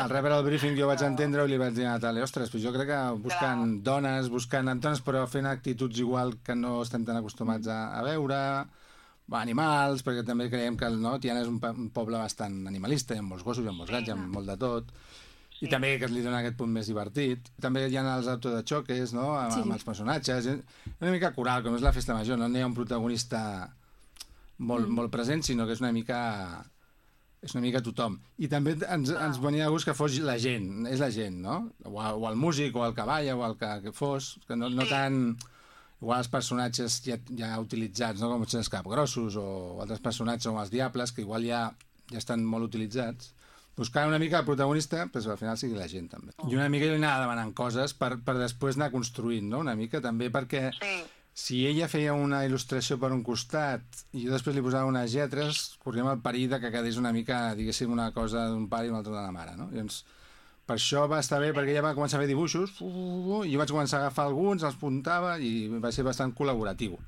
Al rebre el briefing jo vaig entendre i li vaig dir a Natàlia, ostres, però jo crec que buscant dones, però fent actituds igual que no estem tan acostumats a veure, animals, perquè també creiem que Tiana és un poble bastant animalista, hi ha molts gossos, hi ha molts gats, hi ha molt de tot, i també que li dona aquest punt més divertit. També hi ha els autos de xoques, no?, amb els personatges, una mica coral, com és la festa major, no hi ha un protagonista molt present, sinó que és una mica tothom. I també ens venia de gust que fos la gent, és la gent, no? O el músic, o el cavall, o el que fos, que no tant... Igual els personatges ja utilitzats, no? Com els capgrossos o altres personatges, com els diables, que igual ja estan molt utilitzats. Buscar una mica el protagonista, però al final sigui la gent, també. I una mica jo li anava demanant coses per després anar construint, no? Una mica, també, perquè... Si ella feia una il·lustració per un costat i jo després li posava unes lletres, corríem el perill que quedés una mica, diguéssim, una cosa d'un pare i una altra de la mare, no? Llavors, per això va estar bé, perquè ella va començar a fer dibuixos i jo vaig començar a agafar alguns, els puntava i va ser bastant col·laboratiu.